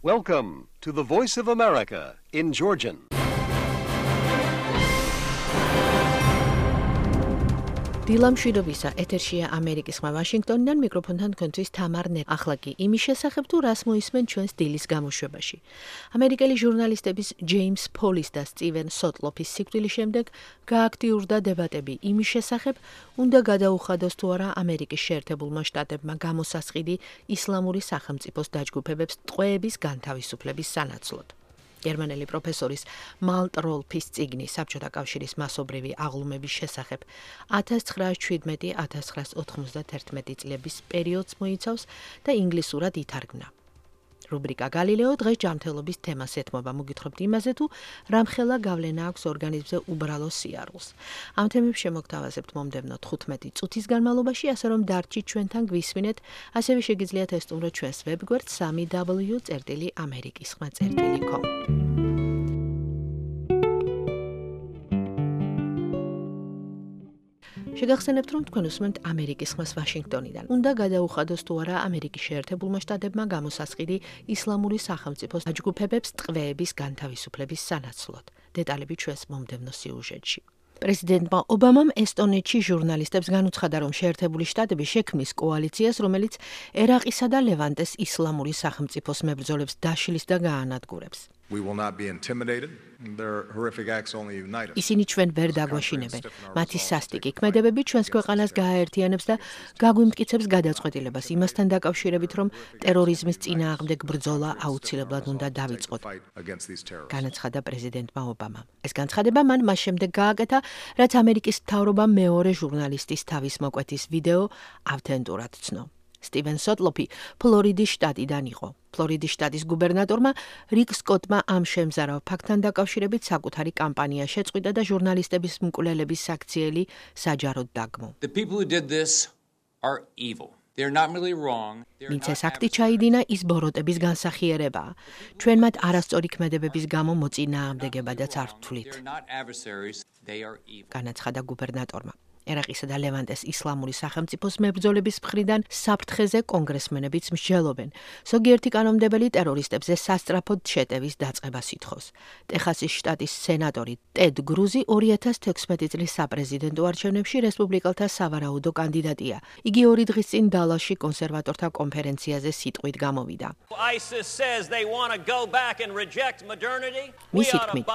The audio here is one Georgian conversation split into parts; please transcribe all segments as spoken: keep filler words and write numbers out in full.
Welcome to the Voice of America in Georgian. დილამ შვიდობისა, ეთერშია ამერიკის ხმა ვაშინგტონიდან, მიკროფონთან თქვენთვის თამარ ნე. ახლა კი იმის შესახებ თუ რას მოისმენ ჩვენს დილის გამოშვებაში. ამერიკელი ჟურნალისტების ჯეიმს ფოლის და სტივენ სოტლოფის სიკვდილის შემდეგ გააქტიურდა დებატები იმის შესახებ, უნდა გადაუხადოს თუ არა ამერიკის შეერთებულმა შტატებმა გამოსასყიდი ისლამური სახელმწიფოს დაჯგუფებებს ტყვეების განთავისუფლების სანაცვლოდ. გერმანელი პროფესორის მალტ როლფის წიგნი საბჭოთა კავშირის მასობრივი აღლუმების შესახებ ათას ცხრაას შვიდმეტი - ათას ცხრაას ოთხმოცდაათერთმეტი წლების პერიოდს მოიცავს და ინგლისურად ითარგმნა. რუბრიკა გალილეო დღეს ჯანმრთელობის თემას ეთმობა. მოგითხრობთ იმაზე თუ რამხელა გავლენა აქვს ორგანიზმზე უბრალო სიარულს. ამ თემებს შემოგთავაზებთ მომდევნო თხუთმეტი წუთის განმავლობაში, ასე რომ დარჩით ჩვენთან გვისმინეთ, ასევე შეგიძლიათ ესტუმროთ ჩვენს ვებგვერდ სამი დაბლიუ წერტილი ამერიკის ხმა წერტილი კომ. შეგახსენებთ, რომ თქვენ უსმენთ ამერიკის ხმას ვაშინგტონიდან. უნდა გადაუხადოს თუ არა ამერიკის შეერთებულმა შტატებმა გამოსასყიდი ისლამური სახელმწიფოს დაჯგუფებებს ტყვეების განთავისუფლების სანაცვლოდ. დეტალები ჩვენს მომდევნო სიუჟეტში. პრეზიდენტმა ობამამ ესტონეთში ჟურნალისტებს განუცხადა, რომ შეერთებული შტატები შექმნის კოალიციას, რომელიც ერაყისა და ლევანტეს ისლამური სახელმწიფოს მებრძოლებს დაშლის და გაანადგურებს. We will not be intimidated. Their horrific acts only unite us. ისინი ჩვენ ვერ დაგვაშინებენ. მათი სასტიკი ქმედებები ჩვენს ქვეყანას გააერთიანებს და გაგვიმტკიცებს გადაწყვეტილებას იმასთან დაკავშირებით, რომ ტერორიზმის წინააღმდეგ ბრძოლა აუცილებლად უნდა დავიწყოთ. განაცხადა პრეზიდენტმა ობამამ. ეს განცხადება მან მას შემდეგ გააკეთა, რაც ამერიკის მთავრობამ მეორე ჟურნალისტის თავის მოკვეთის ვიდეო ავთენტურად ცნო. სტივენ სოტლოფი ფლორიდის შტატიდან იყო. ფლორიდის შტატის გუბერნატორმა რიკ სკოტმა ამ შემზარავ ფაქტთან დაკავშირებით საკუთარი კამპანია შეწყვიტა და ჟურნალისტების მკვლელების საქციელი საჯაროდ დაგმო. The people who did this are evil. They're not really wrong. მიცეს აქტი ჩაიდინა ის ბოროტების განსახიერებაა. ჩვენ მათ არასწორი ქმედებების გამო მოწინააღმდეგებადაც არ ვთვლით. განაცხადა გუბერნატორმა. ერაყისა და ლევანტეს ისლამური სახელმწიფოს მებრძოლების მხრიდან საფრთხეზე კონგრესმენებიც მსჯელობენ. ზოგიერთი კანონმდებელი ტერორისტებზე სასწრაფოდ შეტევის დაწყებას ითხოვს. ტეხასის შტატის სენატორი ტედ გრუზი ორი ათას თექვსმეტი წლის საპრეზიდენტო არჩევნებში რესპუბლიკელთა სავარაუდო კანდიდატია. იგი ორი დღის წინ დალასში კონსერვატორთა კონფერენციაზე სიტყვით გამოვიდა. მისი თქმით,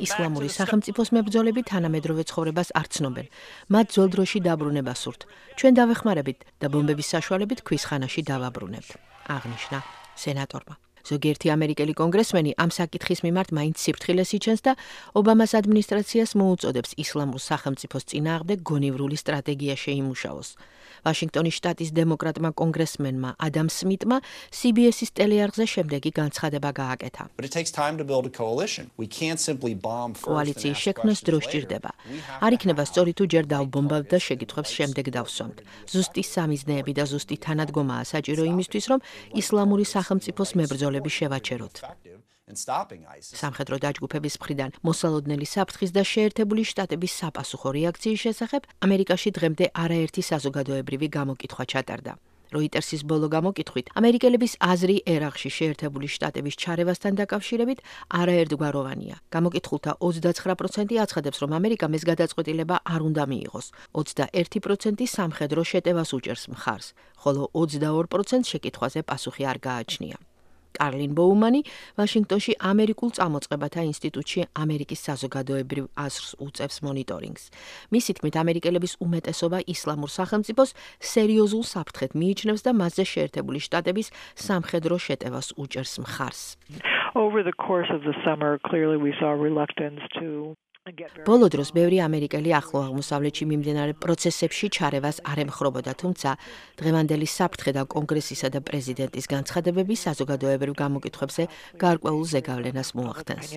ისლამური სახელმწიფოს მებრძოლები თანამედროვე ცხოვრებას არ ცნობენ. მათ ძველ დროში დაბრუნება სურთ. ჩვენ დავეხმარებით და ბომბების საშუალებით ქვის ხანაში დავაბრუნებთ. აღნიშნა სენატორმა. ზოგიერთი ამერიკელი კონგრესმენი ამ საკითხის მიმართ მაინც სიფრთხილეს იჩენს და ობამას ადმინისტრაციას მოუწოდებს ისლამურ სახელმწიფოს წინააღმდეგ გონივრული სტრატეგია შეიმუშაოს. ვაშინგტონის შტატის დემოკრატმა კონგრესმენმა ადამ სმიტმა C B S-ის ტელეარხზე შემდეგი განცხადება გააკეთა. კოალიციის შექმნას დრო სჭირდება. არ იქნება სწორი თუ ჯერ დავბომბავთ და შეკითხვებს შემდეგ დავსვამთ. ზუსტი სამიზნეები და ზუსტი თანადგომაა საჭირო იმისთვის, რომ ისლამური სახელმწიფოს მებრძოლები შევაჩეროთ. სამხედრო დაჯგუფების მხრიდან მოსალოდნელი საფრთხის და შეერთებული შტატების საპასუხო რეაქციის შესახებ ამერიკაში დღემდე არაერთი საზოგადოებრივი გამოკითხვა ჩატარდა. როიტერსის ბოლო გამოკითხვით ამერიკელების აზრი ერაყში შეერთებული შტატების ჩარევასთან დაკავშირებით არაერთგვაროვანია. გამოკითხულთა ოცდაცხრა პროცენტი აცხადებს, რომ ამერიკამ ეს გადაწყვეტილება არ უნდა მიიღოს. ოცდაერთი პროცენტი სამხედრო შეტევას უჭერს მხარს, ხოლო ოცდაორ პროცენტს შეკითხვაზე პასუხი არ გააჩნია. კარლინ ბოუმანი ვაშინგტონში ამერიკულ წამოწყებათა ინსტიტუტში ამერიკის საზოგადოებრივ აზრს უწევს მონიტორინგს. მისი თქმით, ამერიკელების უმეტესობა ისლამურ სახელმწიფოს სერიოზულ საფრთხედ მიიჩნევს და მასზე შეერთებული შტატების სამხედრო შეტევას უჭერს მხარს. Over the course of the summer, clearly we saw reluctance to ბოლო დროს ბევრი ამერიკელი ახლო აღმოსავლეთში მიმდინარე პროცესებში ჩარევას არ ემხრობოდა, თუმცა დღევანდელი საფრთხე და კონგრესისა და პრეზიდენტის განცხადებები საზოგადოებრივ გამოკითხვებზე გარკვეულ ზეგავლენას მოახდენს.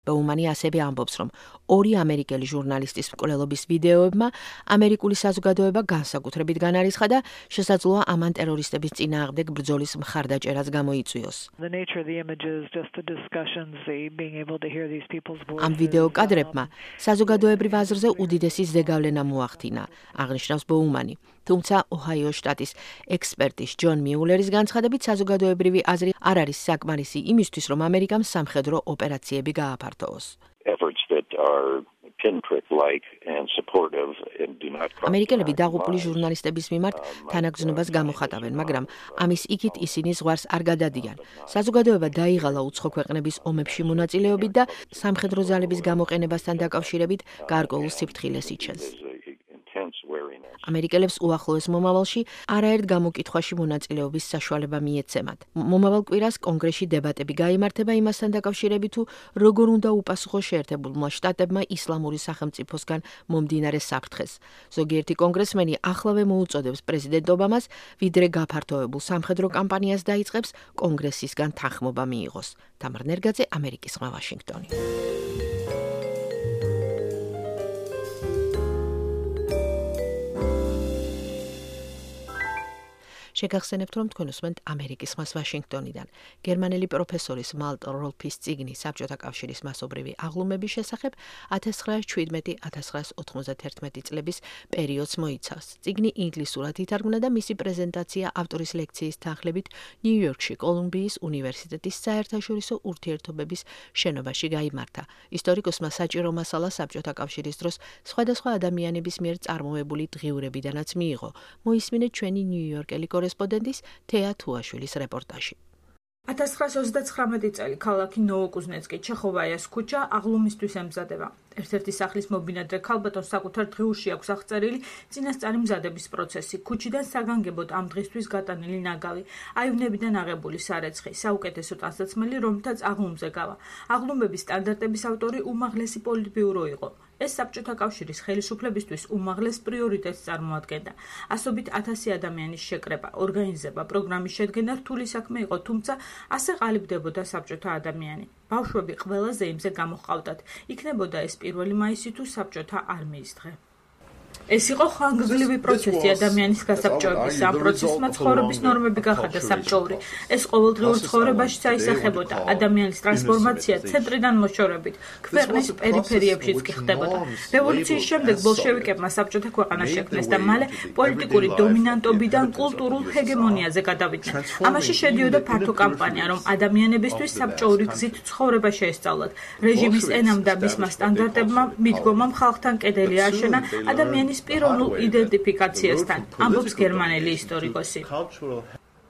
ბოუმანი ასევე ამბობს, რომ ორი ამერიკელი ჟურნალისტის მკვლელობის ვიდეოებმა ამერიკული საზოგადოება განსაკუთრებით განარისხა და შესაძლოა ამან ტერორისტების წინააღმდეგ ბრძოლის მხარდაჭერაც გამოიწვიოს. ამ ვიდეო კადრებმა საზოგადოებრივ აზრზე უდიდესი ზეგავლენა მოახდინა, აღნიშნავს ბოუმანი. თუმცა ოჰაიოს შტატის ექსპერტის ჯონ მიულერის განცხადებით საზოგადოებრივი აზრი არ არის საკმარისი იმისთვის, რომ ამერიკამ სამხედრო ოპერაციები გააფართოოს. ამერიკელები დაღუპული ჟურნალისტების მიმართ თანაგრძნობას გამოხატავენ, მაგრამ ამის იქით ისინი ზღვარს არ გადადიან. საზოგადოება დაიღალა უცხო ქვეყნების ომებში მონაწილეობით და სამხედრო ძალების გამოყენებასთან დაკავშირებით გარკვეულ სიფრთხილეს იჩენს. ამერიკელებს უახლოეს მომავალში არაერთ გამოკითხვაში მონაწილეობის საშუალება მიეცემათ. მომავალ კვირას კონგრესში დებატები გაიმართება იმასთან დაკავშირებით, თუ როგორ უნდა უპასუხოს შეერთებულმა შტატებმა ისლამური სახელმწიფოსგან მომდინარე საფრთხეს. ზოგიერთი კონგრესმენი ახლავე მოუწოდებს პრეზიდენტ ობამას, ვიდრე გაფართოებულ სამხედრო კამპანიას დაიწყებს, კონგრესისგან თანხმობა მიიღოს. თამარ ნერგაძე, ამერიკის ხმა, ვაშინგტონი. შეგახსენებთ, რომ თქვენ უსმენთ ამერიკის ხმას ვაშინგტონიდან. გერმანელი პროფესორის მალტ როლფის წიგნი საბჭოთა კავშირის მასობრივი აღლუმების შესახებ ათას ცხრაას შვიდმეტი - ათას ცხრაას ოთხმოცდათერთმეტი წლების პერიოდს მოიცავს. წიგნი ინგლისურად ითარგმნა და მისი პრეზენტაცია ავტორის ლექციის თანხლებით ნიუ-იორკში კოლუმბიის უნივერსიტეტის საერთაშორისო ურთიერთობების შენობაში გაიმართა. ისტორიკოსმა საჭირო მასალა საბჭოთა კავშირის დროს სხვადასხვა ადამიანების მიერ წარმოებული დღიურებიდანაც მიიღო. მოისმინეთ ჩვენი ნიუ-იორკელი კორესპონდენტის თეა თუაშვილის რეპორტაჟი. ათას ცხრაას ოცდაცხრამეტი წელი ქალაქი ნოვოკუზნეცკი, ჩეხოვაიას ქუჩა აღლუმისთვის ემზადება. ერთ-ერთი სახლის მობინადრე ქალბატონს საკუთარ დღიურში აქვს აღწერილი წინასწარი მზადების პროცესი, ქუჩიდან საგანგებოდ ამ დღისთვის გატანილი ნაგავი, აივნებიდან აღებული სარეცხი, საუკეთესო ტანსაცმელი, რომლითაც აღლუმზე გავა. აღლუმების სტანდარტების ავტორი უმაღლესი პოლიტბიურო იყო. ეს საბჭოთა კავშირის ხელისუფლებისთვის უმაღლეს პრიორიტეტს წარმოადგენდა. ასობით ათასი ადამიანის შეკრება, ორგანიზება, პროგრამის შედგენა რთული საქმე იყო, თუმცა ასე ყალიბდებოდა საბჭოთა ადამიანი. ბავშვები ყველაზე იმზე გამოჰყავდათ. იქნებოდა ეს პირველი მაისი თუ საბჭოთა არმიის დღე. ეს იყო ხანგრძლივი პროცესი ადამიანის გასაბჭოების. ამ პროცესმა ცხოვრების ნორმები გახადა საბჭოური. ეს ყოველდღიურ ცხოვრებაშიც აისახებოდა. ადამიანის ტრანსფორმაცია ცენტრიდან მოშორებით ქვეყნის პერიფერიებშიც კი ხდებოდა. რევოლუციის შემდეგ ბოლშევიკებმა საბჭოთა ქვეყანა შექმნეს და მალე პოლიტიკური დომინანტობიდან კულტურულ ჰეგემონიაზე გადავიდნენ. ამაში შედიოდა ფართო კამპანია, რომ ადამიანებისთვის საბჭოური გზით ცხოვრება შეესწავლათ. რეჟიმის ენამ და მისმა სტანდარტებმა მიდგომამ ხალხთან კედელი ააშენა ადამიანის პიროვნულ იდენტიფიკაციასთან, ამბობს გერმანელი ისტორიკოსი.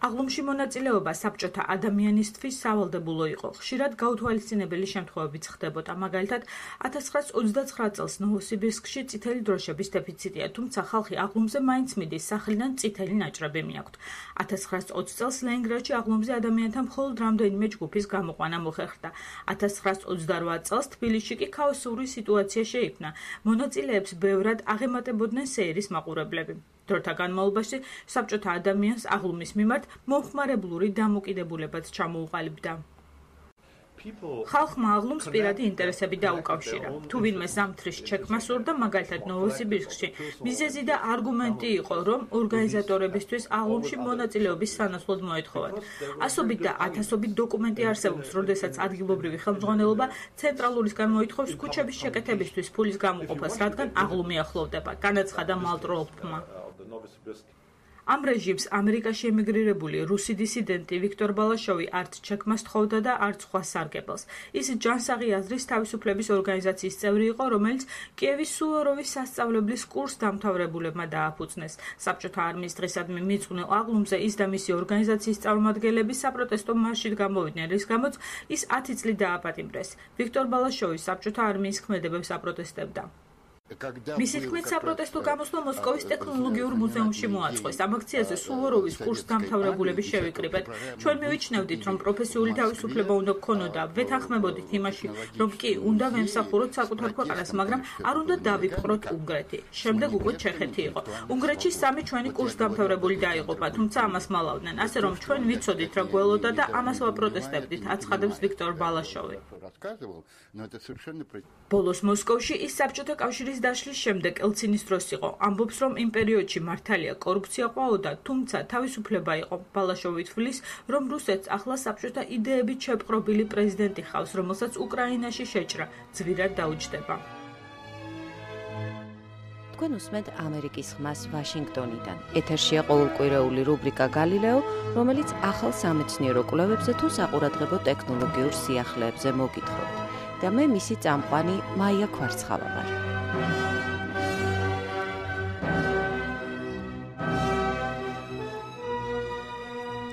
აღლუმში მონაწილეობა საბჭოთა ადამიანისთვის სავალდებულო იყო. ხშირად გაუთვალისწინებელი შემთხვევებიც ხდებოდა. მაგალითად, ათას ცხრაას ოცდაცხრა წელს ნოვოსიბირსკში წითელი დროშების დეფიციტია, თუმცა ხალხი აღლუმზე მაინც მიდის, სახლიდან წითელი ნაჭრები მიაქვთ. ათას ცხრაას ოცი წელს ლენინგრადში აღლუმზე ადამიანთა მხოლოდ რამდენიმე ჯგუფის გამოყვანა მოხერხდა. ათას ცხრაას ოცდარვა წელს თბილისში კი ქაოსური სიტუაცია შეიქმნა. მონაწილეებს ბევრად აღემატებოდნენ სეირის მაყურებლები. დროთა განმავლობაში საბჭოთა ადამიანს აღლუმის მიმართ მომხმარებლური დამოკიდებულებაც ჩამოუყალიბდა. ხალხმა აღლუმს პირადი ინტერესები დაუკავშირა. თუ ვინმე ზამთრის ჩექმა სურდა, მაგალითად ნოვოსიბირსკში, მიზეზი და არგუმენტი იყო, რომ ორგანიზატორებისთვის აღლუმში მონაწილეობის სანაცვლოდ მოეთხოვათ. ასობით და ათასობით დოკუმენტი არსებობს, როდესაც ადგილობრივი ხელმძღვანელობა ცენტრალურისგან მოითხოვს ქუჩების შეკეთებისთვის ფულის გამოყოფას, რადგან აღლუმი ახლოვდება, განაცხადა მალტ როლფმა. ამ რეჟიმს ამერიკაში ემიგრირებული რუსი დისიდენტი ვიქტორ ბალაშოვი არც ჩექმას თხოვდა და არც სხვა სარგებელს. ის ჯანსაღი აზრის თავისუფლების ორგანიზაციის წევრი იყო, რომელიც კიევის სუვოროვის სასწავლებლის კურსს დამთავრებულებმა დააფუძნეს. საბჭოთა არმიის დღისადმი მიძღვნილ აღლუმზე ის და მისი ორგანიზაციის წარმომადგენლები საპროტესტო მარშით გამოვიდნენ, რის გამოც ის ათი წლით დააპატიმრეს. ვიქტორ ბალაშოვი საბჭოთა არმიის ქმედებებს აპროტესტებდა. მისი თქმით, საპროტესტო გამოსვლა მოსკოვის ტექნოლოგიურ მუზეუმში მოაწყვეს. ამ აქციაზე სუვოროვის კურსდამთავრებულები შევიკრიბეთ. ჩვენ მივიჩნევდით, რომ პროფესიული თავისუფლება უნდა გქონოდა. ვეთანხმებოდით იმაში, რომ კი უნდა ვემსახუროთ საკუთარ ქვეყანას, მაგრამ არ უნდა დავიპყროთ უნგრეთი. შემდეგ უკვე ჩეხეთი იყო. უნგრეთში სამი ჩვენი კურსდამთავრებული დაიღუპა, თუმცა ამას მალავდნენ. ასე რომ ჩვენ ვიცოდით, რა გველოდა და ამას ვაპროტესტებდით, აცხადებს ვიქტორ ბალაშოვი. ბოლოს მოსკოვში ის საბჭოთა კავშირის დაშლის შემდეგ ელცინის დროს იყო. ამბობს, რომ იმ პერიოდში მართალია კორუფცია ყვაოდა, თუმცა თავისუფლება იყო. ბალაშოვი თვლის, რომ რუსეთს ახლა საბჭოთა იდეებით შეპყრობილი პრეზიდენტი ხავს, რომელსაც უკრაინაში შეჭრა ძვირად დაუჯდება. თქვენ უსმენთ ამერიკის ხმას ვაშინგტონიდან. ეთერშია ყოველკვირეული რუბრიკა გალილეო, რომელიც ახალ სამეცნიერო კვლევებზე თუ საყურადღებო ტექნოლოგიურ სიახლეებზე მოგითხრობთ. და მე მისი წამყვანი მაია ქვარცხავა ვარ.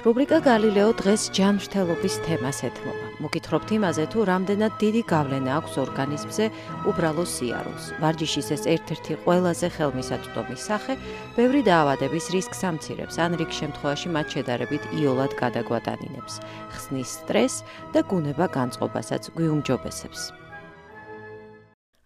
რუბრიკა გალილეო დღეს ჯანმრთელობის თემას ეთმობა. მოგითხრობთ იმაზე, თუ რამდენად დიდი გავლენა აქვს ორგანიზმზე უბრალო სიარულს. ვარჯიშის ეს ერთ-ერთი ყველაზე ხელმისაწვდომი სახე, ბევრი დაავადების რისკს ამცირებს, ან რიგ შემთხვევაში მათ შედარებით იოლად გადაგვატანინებს, ხსნის სტრესს და გუნება-განწყობასაც გვიუმჯობესებს.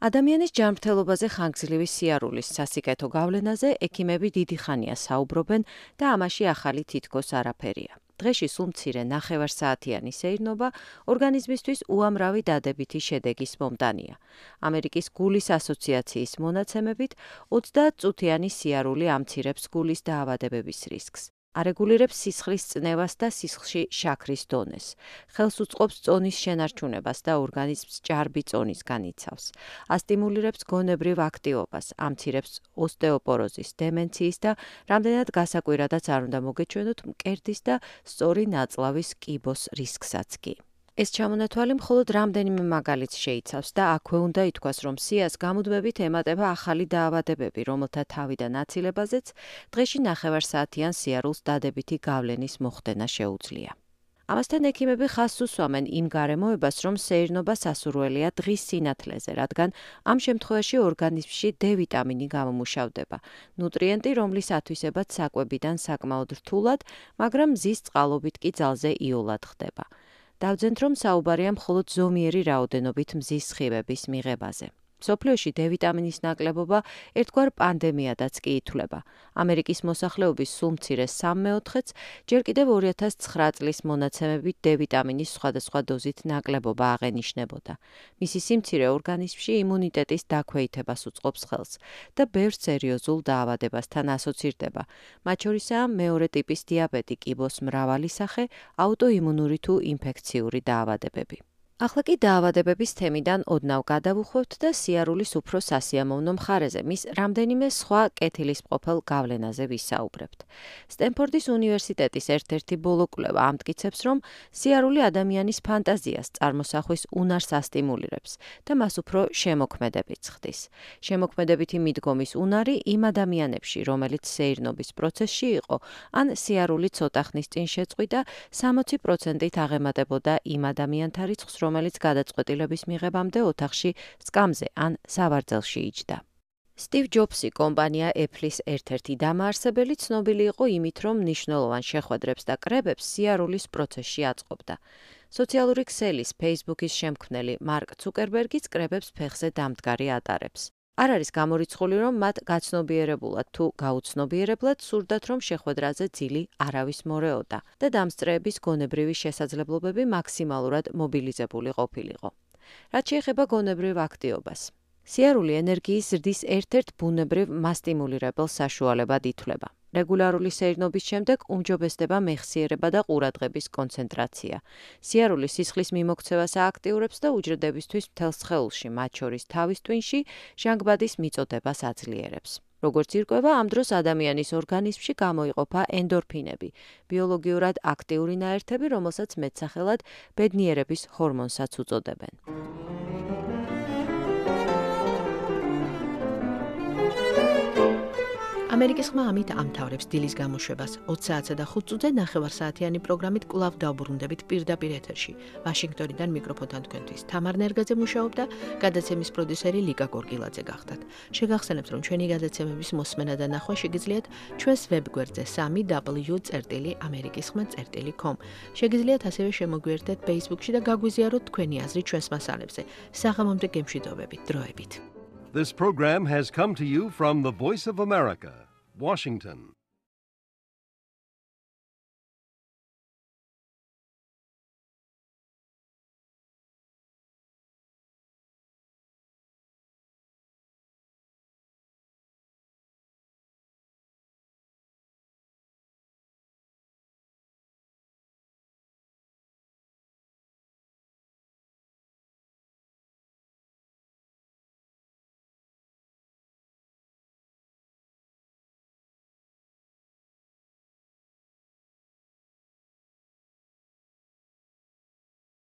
ადამიანის ჯანმრთელობაზე ხანგრძლივი სიარულის სასიკეთო გავლენაზე ექიმები დიდი ხანია საუბრობენ და ამაში ახალი თითქოს არაფერია. დღეში სულ მცირე ნახევარსაათიანი სეირნობა ორგანიზმისთვის უამრავი დადებითი შედეგის მომდანია. ამერიკის გულის ასოციაციის მონაცემებით ოცდაათწუთიანი სიარული ამცირებს გულის დაავადებების რისკს. არეგულირებს სისხლის წნევას და სისხლში შაქრის დონეს. ხელს უწყობს წონის შენარჩუნებას და ორგანიზმს ჭარბი წონის განიცავს. ასტიმულირებს გონებრივ აქტივობას, ამცირებს ოსტეოპოროზის, დემენციის და რამდენად გასაკვირადაც არ უნდა მოგეჩვენოთ მკერდის და სწორი ნაწლავის კიბოს რისკსაც კი. ეს ჩამონათვალი მხოლოდ რამდენიმე მაგალითს შეიცავს და აქვე უნდა ითქვას, რომ სიას გამუდმებით ემატება ახალი დაავადებები, რომელთა თავიდან აცილებაზეც დღეში ნახევარსაათიან სიარულს დადებითი გავლენის მოხდენა შეუძლია. ამასთან ექიმები ხაზს უსვამენ იმ გარემოებას, რომ სეირნობა სასურველია დღის სინათლეზე, რადგან ამ შემთხვევაში ორგანიზმში D ვიტამინი გამომუშავდება, ნუტრიენტი, რომლის ათვისებაც საკვებიდან საკმაოდ რთულად, მაგრამ მზის წყალობით კი ძალზე იოლად ხდება. დავძენთ, რომ საუბარია მხოლოდ ზომიერი რაოდენობით მზის სხივების მიღებაზე. მსოფლიოში D ვიტამინის ნაკლებობა ერთგვარ პანდემიადაც კი ითვლება. ამერიკის მოსახლეობის სულ მცირე სამ მეოთხედს ჯერ კიდევ ორი ათას ცხრა წლის მონაცემებით D ვიტამინის სხვადასხვა დოზით ნაკლებობა აღენიშნებოდა. მისი სიმცირე ორგანიზმში იმუნიტეტის დაქვეითებას უწყობს ხელს და ბევრ სერიოზულ დაავადებასთან ასოცირდება. მათ შორისაა მეორე ტიპის დიაბეტი, კიბოს მრავალი სახე, აუტოიმუნური თუ ინფექციური დაავადებები. ახლა კი დაავადებების თემიდან ოდნავ გადავუხვევთ და სიარულის უფრო სასიამოვნო მხარეზე, მის რამდენიმე სხვა კეთილისმყოფელ გავლენაზე ვისაუბრებთ. სტენფორდის უნივერსიტეტის ერთ-ერთი ბოლო კვლევა ამტკიცებს, რომ სიარული ადამიანის ფანტაზიას, წარმოსახვის უნარს ასტიმულირებს და მას უფრო შემოქმედებიც ხდის. შემოქმედებითი მიდგომის უნარი იმ ადამიანებში, რომელიც სეირნობის პროცესში იყო, ან სიარული ცოტა ხნის წინ შეწყვიტა, სამოცი პროცენტით აღემატებოდა იმ ადამიანთა რიცხვს, რომელიც გადაწყვეტილების მიღებამდე ოთახში სკამზე ან სავარძელში იჯდა. სტივ ჯობსი, კომპანია Apple-ის ერთ-ერთი დამაარსებელი, ცნობილი იყო იმით, რომ მნიშვნელოვან შეხვედრებს და კრებებს სიარულის პროცესში აწყობდა. სოციალური ქსელის Facebook-ის შემქმნელი მარკ ცუკერბერგიც კრებებს ფეხზე დამდგარი ატარებს. არ არის გამორიცხული, რომ მათ გაცნობიერებულად თუ გაუცნობიერებლად სურდათ, რომ შეხვედრაზე ძილი არავის მორეოდა და დამსწრეების გონებრივი შესაძლებლობები მაქსიმალურად მობილიზებული ყოფილიყო. რაც შეეხება გონებრივ აქტივობას, სიარული ენერგიის ზრდის ერთ-ერთ ბუნებრივ მასტიმულირებელ საშუალებად ითვლება. რეგულარული სეირნობის შემდეგ უმჯობესდება მეხსიერება და ყურადღების კონცენტრაცია. სიარული სისხლის მიმოქცევას ააქტიურებს და უჯრედებისთვის მთელ სხეულში, მათ შორის თავის ტვინში, ჟანგბადის მიწოდებას აძლიერებს. როგორც ირკვევა, ამ დროს ადამიანის ორგანიზმში გამოიყოფა ენდორფინები, ბიოლოგიურად აქტიური ნაერთები, რომელსაც მეტსახელად ბედნიერების ჰორმონსაც უწოდებენ. ამერიკის ხმა ამით ამთავრებს დილის გამოშვებას. ოცი საათსა და ხუთ წუთზე ნახევარსაათიანი პროგრამით კვლავ დავბრუნდებით პირდაპირ ეთერში. ვაშინგტონიდან მიკროფონთან თქვენთვის თამარ ნერგაძე მუშაობდა, გადაცემის პროდიუსერი ლიკა გორგილაძე გახდათ. შეგახსენებთ, რომ ჩვენი გადაცემების მოსმენა და ნახვა შეგიძლიათ ჩვენს ვებგვერდზე სამი w წერტილი ამერიკის ხმა წერტილი com. შეგიძლიათ ასევე შემოგვიერთდეთ Facebook-ში და გაგვიზიაროთ თქვენი აზრი ჩვენს მასალებზე. საღამომდე გემშვიდობებით, დროებით. This program has come to you from the Voice of America, Washington.